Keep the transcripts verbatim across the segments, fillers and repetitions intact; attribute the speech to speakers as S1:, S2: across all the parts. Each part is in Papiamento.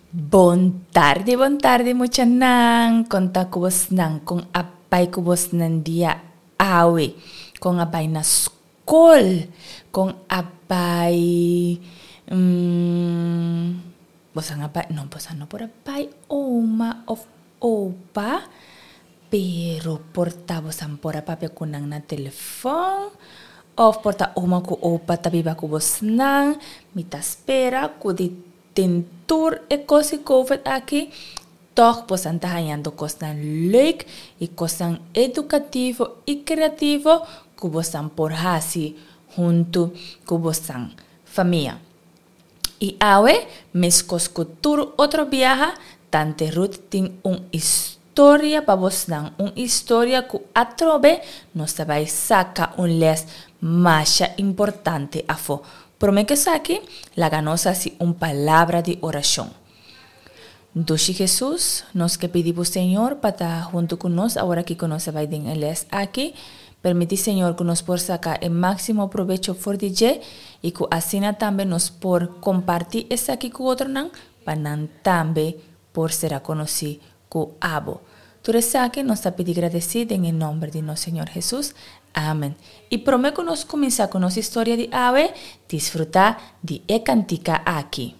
S1: Bon tardi, bon tardi muchanan. Kon ta ku bosnan, kon a bai ku bosnan dia awe. Kon a bai na skol, kon a bai mm, bosan a bai, no, bosan no por a bai oma of opa, pero por ta bosan por a papia ku nan na telefòn, of por ta oma ku opa ta biba ku bosnan. Mi ta spera ku di den tur e kos di COVID aki, tòg bosan ta hañando kosnan leuk i kosnan edukativo i kreativo ku bosan por hasi huntu ku bosan famia. I awe, meskos ku tur otro biaha, Tante Ruth tin un historia pa bosnan, un historia ku atrobe nos ta bai saka un lès masha importante afó. Promé ku esaki, laga nos hasi un palabra di orashon. Dushi Hesus, nos ke pidi bo Señor pa ta huntu ku nos awor aki ku nos a bai den e lès aki. Permití Señor ku nos por saka e máksimo probecho for di dje i ku asina tambe nos por kompartí esaki ku otronan pa nan tambe por sera konosí ku abo. Tur esaki nos ta pidi gradesí den e nòmber di nos Señor Hesus. Amen. I promé ku nos kuminsá ku nos historia di awe, disfrutá di e kantika aki.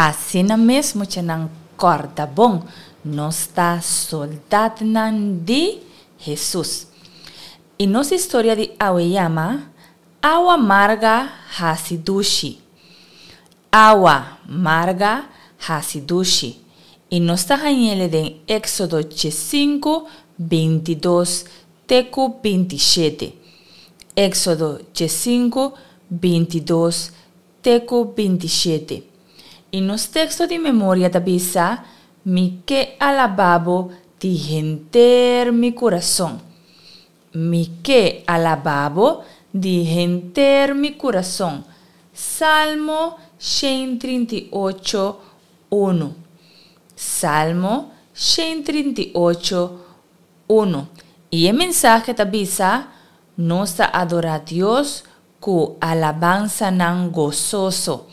S1: Asina mes muchanan kòrda bon, nos ta soldatnan di Hesus. I nos historia di awe yama, Awa marga hasi dushi. Awa marga hasi dushi. I nos ta hañ'ele den Éksodo diesinku, bintidos te ku bintishete. Éksodo diesinku, bintidos te ku bintishete. I nos teksto di memoria ta bisa, Mi ke alabá bo di henter mi kurason. Mi ke alabá bo di henter mi kurason. Salmo shen trinta i ocho, unu. Salmo shen trinta i ocho, unu. I e mensahe ta bisa, Nos ta adorá Dios ku alabansanan gososo.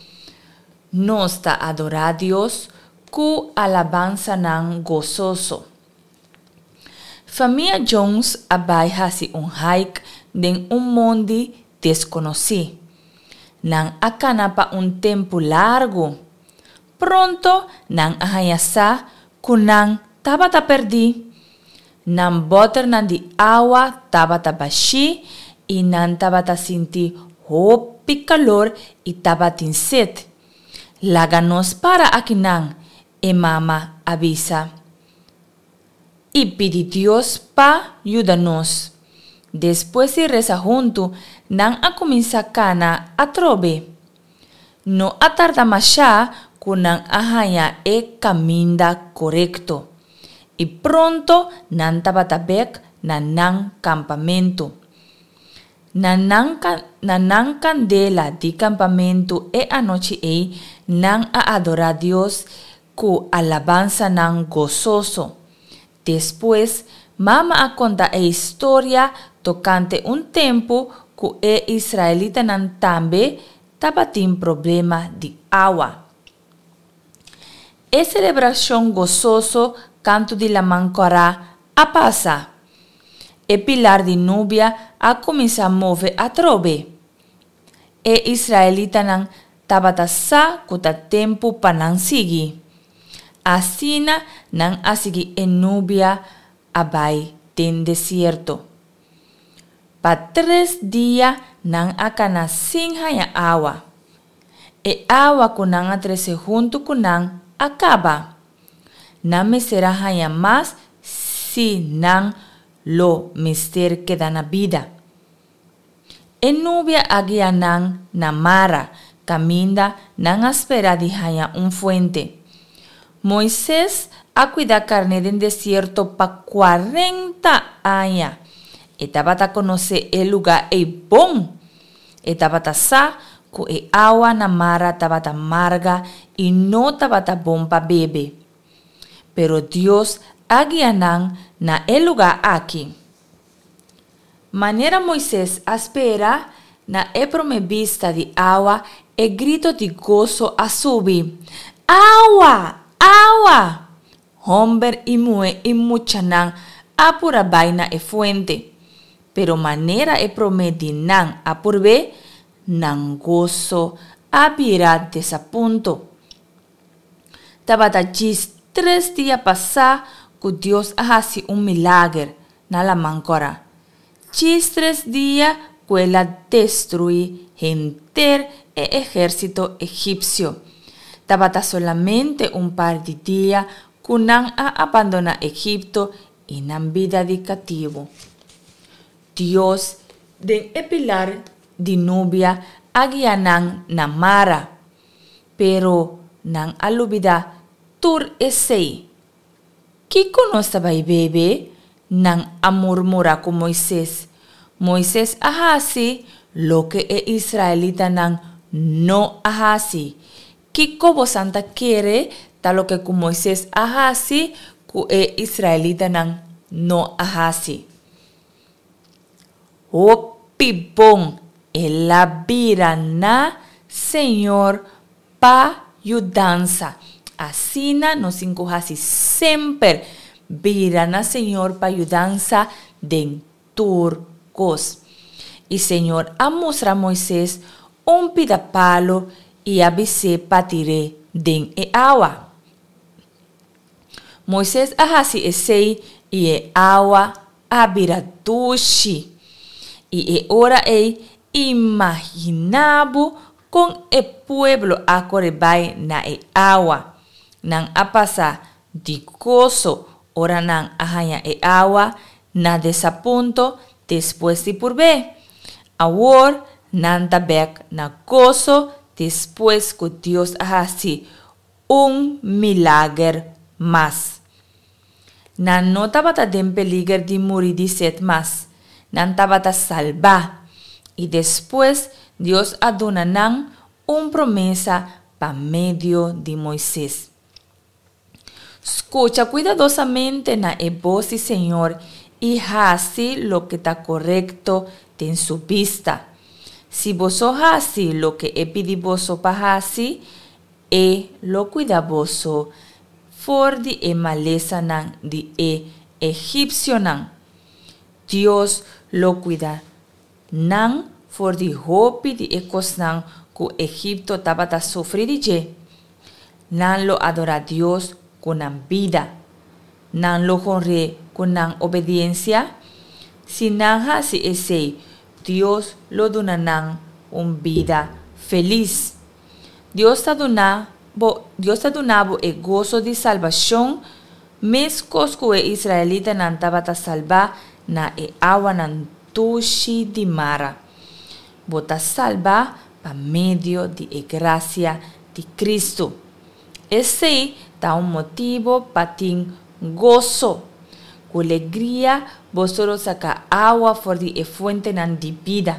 S1: Nos ta adorá Dios ku alabansanan gososo. Famia Jones a bai hasi un hike den un mondi deskonosí. Nan a kana pa un tempu largu. Pronto nan a haña sa ku nan tabata pèrdí. Nan bòternan di awa tabata bashí i nan tabata sinti hopi kalor i tabatin set. Laga nos para akinan, e mama a bisa, i pidi Dios pa yuda nos. Despues di resa huntu, nan a kuminsá kana atrobe. No a tarda mashá ku nan a haña e kaminda korekto, i pronto nan tabata bèk na nan kampamentu. Na nan na nan kandela di kampamentu e anochi ei, nan a adorá Dios ku alabansanan gososo. Despues, mama a konta e historia tokante un tempu ku e israelitanan tambe tabatin problema di awa. E selebrashon gososo kantu di Laman Kòrá a pasa. E pilar di nubia a kuminsá move atrobe. E israelitanan tabata sa ku ta tempu pa nan sigui. Asina nan a sigui e nubia a bai den desierto. Pa tres dia nan a kana sin haña awa. E awa ku nan a trese huntu ku nan a kaba. Nan mester a haña mas si nan lo mester keda na bida. E nubia a guia nan na Mara, kaminda nan a spera di haña un fuente. Moises a kuida karné den desierto pa kuarenta aña. E tabata konosé e lugá ei bon. E tabata sa ku e awa na Mara tabata marga i no tabata bon pa bebe. Pero Dios a guia nan na e lugá aki. Manera Moises a spera, na e promé bista di awa e grito di goso a subi, Awa! Awa! Hòmber i muhé i muchanan a pura bai na e fuente. Pero manera e promé di nan a purb'é, nan goso a bira desapunto. Tabata djis tres dia pasá ku Dios a hasi un milager na Laman Kòrá. Djis tres dia ku el a destruí henter e ehérsito egipsio. Tabata solamente un par di dia ku nan a abandoná Egipto i nan bida di katibu. Dios, den e pilar di nubia, a guia nan na Mara. Pero nan a lubidá tur esei. Kiko nos ta bai bebe? Nan a murmurá ku Moises. Moises a hasi loke e israelitanan no a hasi. Kiko bosan ta kere ta loke ku Moises a hasi ku e israelitanan no a hasi? Hopi bon el a bira na Señor pa yudansa. Asina nos tin ku hasi semper, bira na Señor pa yudansa den tur kos. I Señor a mustra Moises un pida palu i a bis'é pa tir'é den e awa. Moises a hasi esei i e awa a bira dushi. I e ora ei imaginá bo kon e pueblo a kore bai na e awa. Nan a pasa di goso ora nan a haña e awa na desapunto despues di purb'é. Awor nan ta bèk na goso despues ku Dios a hasi un milager mas. Nan no tabata den peliger di muri di set mas. Nan tabata salbá. I despues Dios a duna nan un promesa pa medio di Moises. Skucha kuidadosamente na e bos di Señor i hasi loke ta korekto den su bista. Si boso hasi loke e pidi boso pa hasi, e lo kuida boso for di e malesanan di e egipsionan. Dios lo kuida nan for di hopi di e kosnan ku Egipto tabata sufri di dje. Nan lo adorá Dios ku nan bida. Nan lo honr'é ku nan obediensia? Si nan hasi esei, Dios lo duna nan un bida felis. Dios ta duna bo, Dios ta duna bo e goso di salbashon meskos ku e israelitanan tabata salbá na e awanan dushi di Mara. Bo ta salbá pa medio di e grasia di Kristu. Esei ta un motibu pa tin goso. Ku legria boso lo saka awa for di e fuentenan di bida.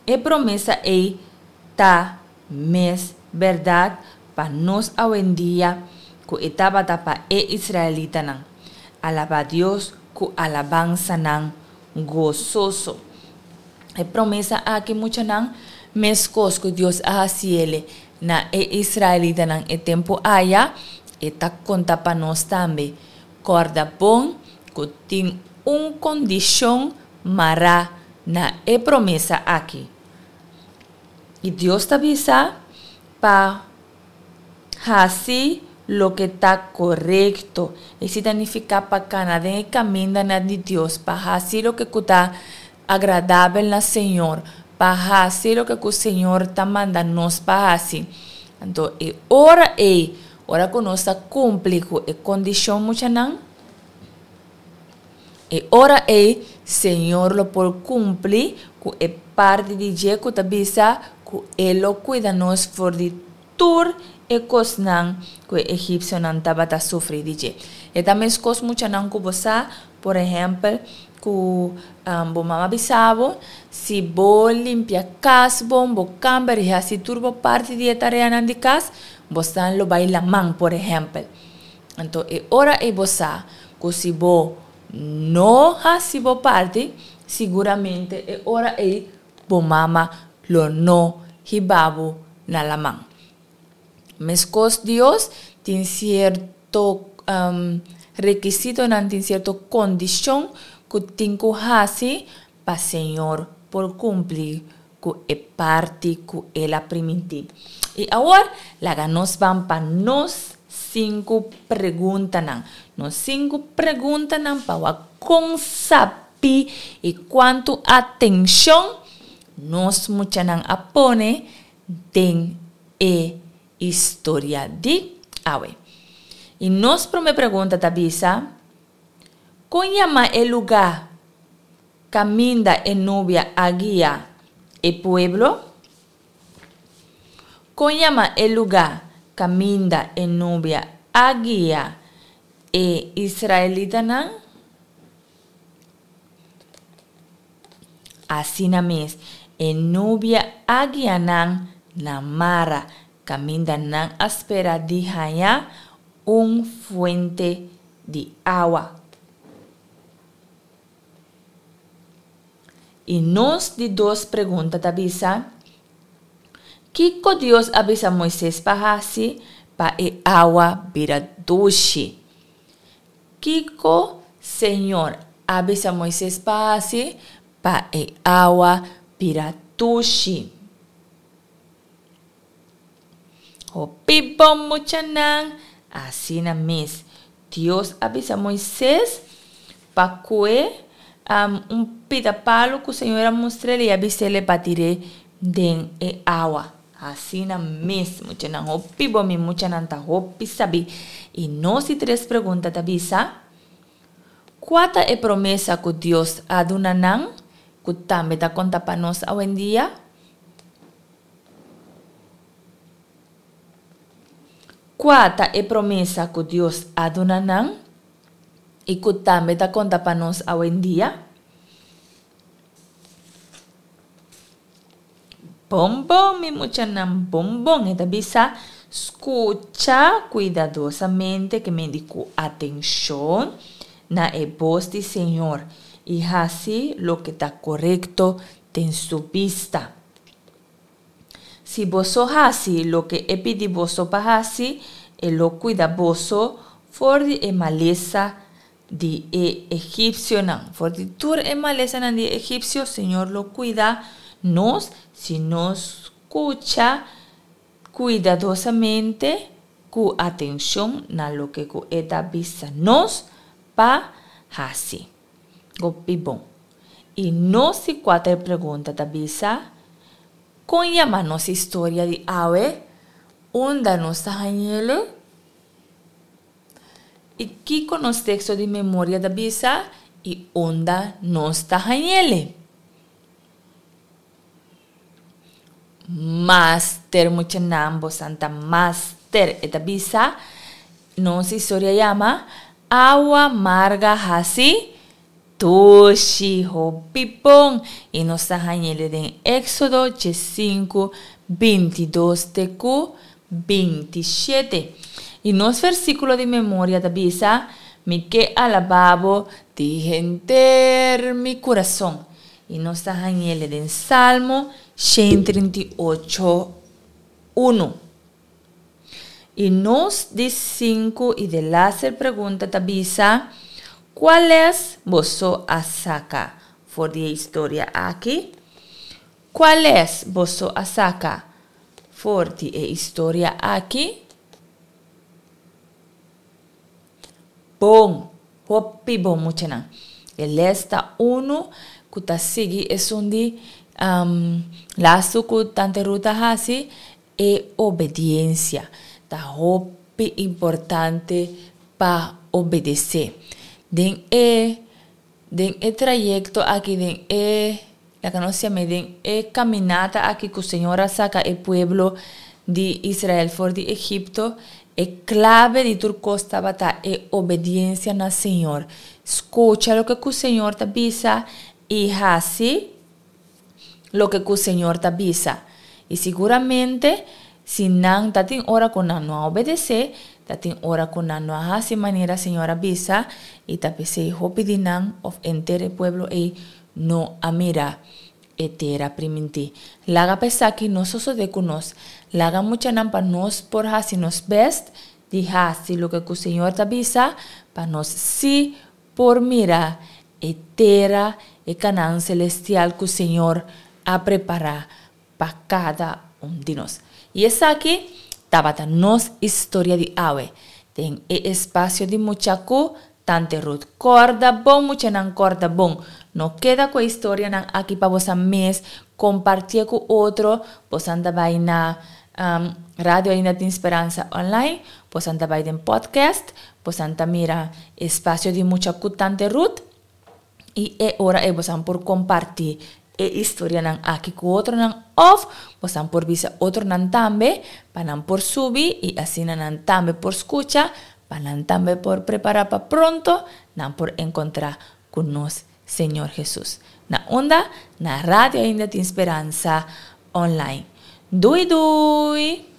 S1: E promesa ei ta mes bèrdat pa nos awendia ku e tabata pa e israelitanan. Alabá Dios ku alabansanan gososo. E promesa aki, muchanan, meskos ku Dios a hasiele na e israelitanan e tempu aya, e ta konta pa nos tambe. Kòrda bon ku tin un kondishon mará na e promesa aki. I Dios ta bisa pa hasi loke ta korekto. Esei ta nifiká pa kana den e kamindanan di Dios, pa hasi loke ku ta agradabel na Señor, pa hasi loke ku Señor ta manda nos pa hasi. Anto e ora ei, ora ku nos ta kumpli ku e kondishon muchanan, e ora ei Señor lo por kumpli ku e parti di dje ku ta bisa ku e lo kuida nos for di tur e kosnan ku e egipsionan tabata sufri di dje. E ta meskos muchanan ku bo sa, por ehèmpel, ku bo mama bisa bo, si bo limpia kas bon, bo kamber i hasi tur bo parti di e tareanan di kas, bosnan lo bai laman, por ehèmpel. Anto e ora ei bo sa ku si bo no hasi bo parti, siguramente e ora ei bo mama lo no hiba bo na laman. Meskos Dios tin sierto rekisitonan, tin sierto kondishon ku tin ku hasi pa Señor por kumpli ku e parti ku el a primintí. I awor laga nos ban pa nos sinku preguntanan. Nos sinku preguntanan pa wak kon sabí i kuantu atenshon nos muchanan a pone den e historia di awe. I nos promé pregunta ta bisa, Kon yama e lugá kaminda e nubia a guia e pueblo? Kon yama e lugá kaminda e nubia a guia e israelitanan? Asina mes, e nubia a guia nan na Mara, kaminda nan a spera di haña un fuente di awa. I nos di dos pregunta ta bisa, Kiko Dios a bisa Moises pa hasi pa e awa bira dushi? Kiko Señor a bisa Moises pa hasi pa e awa bira dushi? Hopi bon muchanan! Asina mes, Dios a bisa Moises pa kue un pida palu ku Señor a mustr'el i a bis'el pa tir'é den e awa. Asina mes, muchanan hopi bon, mi muchanan ta hopi sabí. I nos di tres pregunta ta bisa, Kua ta e promesa ku Dios a duna nan ku tambe ta konta pa nos awendia? Kua ta e promesa ku Dios a duna nan i ku tambe ta konta pa nos awendia? Bon bon, mi muchanan, bon bon, e ta bisa, skucha kuidadosamente, ke men di ku atenshon, na e bos di Señor i hasi loke ta korekto den su bista. Si boso hasi loke e pidi boso pa hasi, e lo kuida boso for di e malesa di e egipsionan. For di tur e malesanan di e egipsio, Señor lo kuida nos si nos skucha kuidadosamente ku atenshon na loke ku e ta bisa nos pa hasi. Hopi bon. I nos di kuater pregunta ta bisa, Kon yama nos historia di awe? Unda nos ta hañ'ele? I kiko nos teksto di memoria ta bisa i unda nos ta hañ'ele? Master muchanan bosan ta master e ta bisa nos historia yama awa marga hasi dushi hopi bon y nos ta hañele den Éxodo diesinku bintidos te ku bintishete y nos versíkulo di memoria ta bisa mi ke alabá bo di henter mi kurason. I nos ta hañ'ele den Salmo shen trinta i ocho, unu. I nos di sinku i delaster pregunta ta bisa, Kua lès boso a saka for di e historia aki? Kua lès boso a saka for di e historia aki? Bon! Hopi bon muchanan. E les ta unu ku ta sigui esun di lastu ku Tante Ruth a hasi, e obediensia. Ta hopi importante pa obedesé. Den e den e trayekto aki, den e laga nos yam'é den e kaminata aki ku Señor a saka e pueblo di Israel for di Egipto, E clave di tur cos tabata e obediencia na Señor. Scucha loke cu Señor ta bisa y haci loke cu Señor ta bisa. Y siguramente si nan ta tin ora cu nan no a obedece, ta tin ora cu nan no a haci manera Señor a bisa y ta p'esey hopi di nan of enter e pueblo ey no a mira e tera primintí. Laga pa esaki no sosodé ku nos. Laga muchanan pa nos por hasi nos bèst di hasi loke ku Señor ta bisa pa nos sí por mira e tera, e Kanaan selestial ku Señor a prepará pa kada un di nos. I esaki tabata nos historia di awe den e espasio di mucha ku Tante Ruth. Kòrda bon muchanan kòrda bon. No keda ku e historianan aki pa bosan mes, kompartié ku otro. Bosan ta bai na Radio Ainda Tin Speransa online, bosan ta bai den podcast, bosan ta mira Espacio di Mucha ku Tante Ruth i e ora ei bosan por kompartí e historianan aki ku otronan òf bosan por bisa otronan tambe pa nan por subi i asina nan tambe por skucha pa nan tambe por prepará pa pronto nan por enkontrá ku nos Señor Hesus. Na unda? Na Radio Ainda Tin Speransa online. Dui dui!